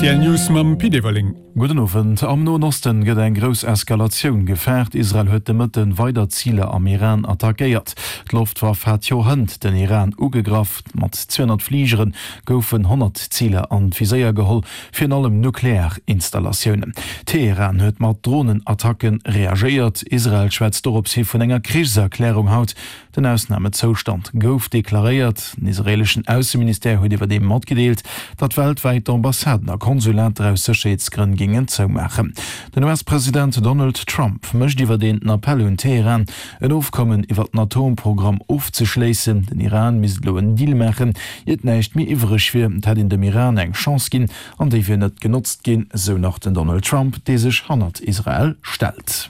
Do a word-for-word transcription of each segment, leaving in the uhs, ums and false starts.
R T L News mam Pit Everling. Gudden Owend. Am Noen Osten gëtt eng grouss Eskalatioun gefaart. Israel huet de Mëtten weider Ziler am Iran attackéiert. D'Loftwaff hat jo hënt den Iran ugegraff. Mat zweehonnert Fligere goufen honnert Ziler an d'Viséier geholl, virun allem nuklear Installatiounen. Teheran huet mat Dronenattacke reagéiert. Israel schwätzt dorops hi vun enger Krichserklärung haut. Den Ausnamezoustand gouf deklaréiert. Den israeeleschen Ausseministère huet iwwerdeem matgedeelt, datt weltwäit d'Ambassaden a Konsulater aus Sécherheetsgrënn géingen zoumaachen. Den U S-President Donald Trump mécht iwwerdeem den Appell un Teheran, en Ofkommen iwwer den Atomprogramm ofzeschléissen. Den Iran misst elo en Deal maachen, iert näischt méi iwwereg wier. Et hätt een dem Iran eng Chance ginn an déi wier net genotzt ginn, sou nach den Donald Trump, dee sech hannert Israel stellt.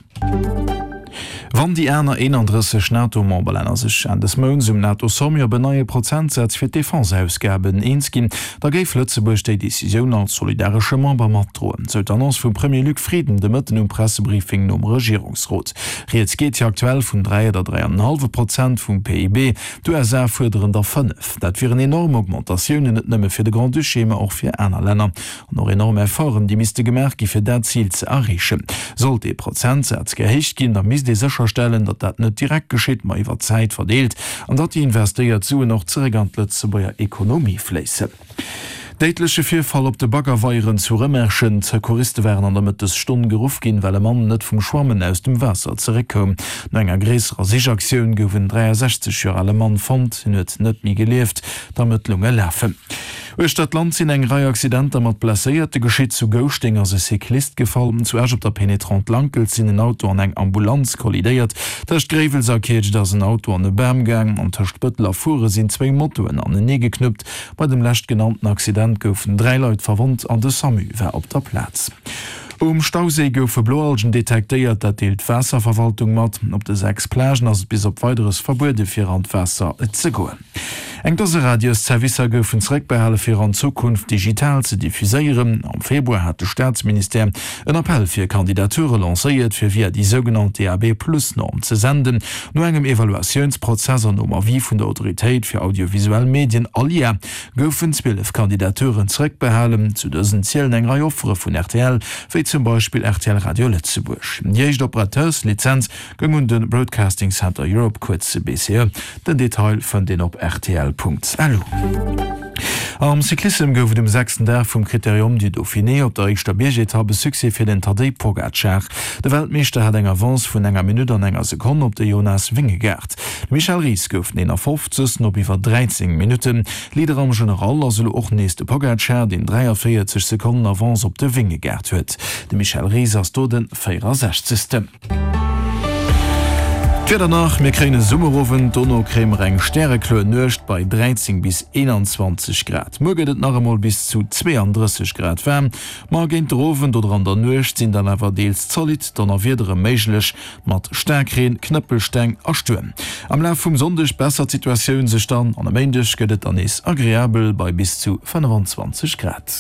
Wann déi aner eenandrësseg NATO-Memberlänner sech Enn des Mounts um NATO-Sommet op en neie Prozentsaz fir d'Defense-Ausgaben eens ginn, da géif Lëtzebuerg déi Decisioun als solidaresche Member matdroen, sou d'Annonce vum Premier Luc Frieden de Mëtten um Pressebriefing nom Regierungsrot. Rieds geet jo aktuell vun dräi oder dräi an en hallwe Prozent vum P I B, d'U S A fuerderen der fënnef. Dat wieren enorm Augmentatiounen, net nëmme fir de Grand-Duché, ma och fir aner Länner. An och enorm Efforten, déi misste gemaach gi fir dat Zil ze erreechen. Sollt dee Prozentsaz gehéicht ginn, da misst ee sécherstellen, datt dat net direkt geschitt, ma iwwer d'Zäit verdeelt, an datt déi investéiert Suen och zeréck an d'Lëtzebuerger Ekonomie fléissen. Déidleche Virfall op de Baggerweieren zu Rëmerschen. D'Secouriste waren an der Mëttesstonn geruff ginn, well e Mann net vum Schwammen aus dem Waasser zeréckkoum. No enger gréisserer Sichaktioun gouf en dräiasechzeg Joer ale Mann fonnt. Hien huet net méi gelieft. D'Ermëttlunge lafen. Uechter d'Land sinn eng Rei Accidenter mat Blesséierte geschitt. Zu Gouschteng ass e Cyclist gefall. Zu Esch op der Pénétrante Lankels sinn en Auto an eng Ambulanz kollidéiert. Tëscht Gréiwels a Kietscht ass en Auto an e Bam gaang an tëscht Bëttel a Furen sinn zwéi Motoen anenee geknuppt. Bei dem leschtgenannten Accident goufen dräi Leit verwonnt an de Samu war op der Plaz. Um Stauséi goufe Bloalgen detektéiert, dat deelt d'Waasserverwaltung mat. Op de sechs Plagen ass et bis op Weideres verbuede fir an d'Waasser ze goen. Eng Dose Radiosservicer goufen zeréckbehale fir an Zukunft digital ze diffuséieren. Am Februar hat de Staatsministère en Appell fir Kandidature lancéiert, fir via déi sougenannt D A B-Plus-Norm ze senden. No engem Evaluatiounsprozess an nom Avis vun der Autoritéit fir audiovisuell Medien, ALIA, goufen zwielef Kandidaturen zeréckbehalen. Zu dësen zielen eng Rei Offere vun R T L, wéi zum Beispill R T L Radio Lëtzebuerg. Déi éischt Operateurslizenz goung un de Broadcasting Center Europe, kuerz B C E. Den Detail fënnt een op R T L Punkt L U. Am Cyclissem gouf et um sechsten Dag vum Critérium du Dauphiné op der éischter Biergetapp e Succès fir den Tadej Pogacar. De Weltmeeschter hat eng Avance vun enger Minutt an enger Sekonn op de Jonas Vingegaard. De Michel Ries gouf den eenafofzegsten op iwwer dräizéng Minutten. Leader am General ass elo och nees de Pogacar, deen dräiavéierzeg Sekonnen Avance op de Vingegaard huet. De Michel Ries ass do de véierasechzegsten. D'Wieder nach, Mir kréien e Summerowend, dono kréie mer eng stärekloer Nuecht bei dräizéng bis eenanzwanzeg Grad. Muer gëtt et nach emol bis zu zweeandrësseg Grad waarm, ma géint der Owend oder an der Nuecht sinn dann awer deels zolidd Donnerwiedere méiglech mat Staarkreen, Knëppelsteng a Stuerm. Am Laf vum Sonndeg bessert d'Situatioun sech dann an e Méindeg gëtt et dann nees agreabel bei bis zu fënnefenzwanzeg Grad.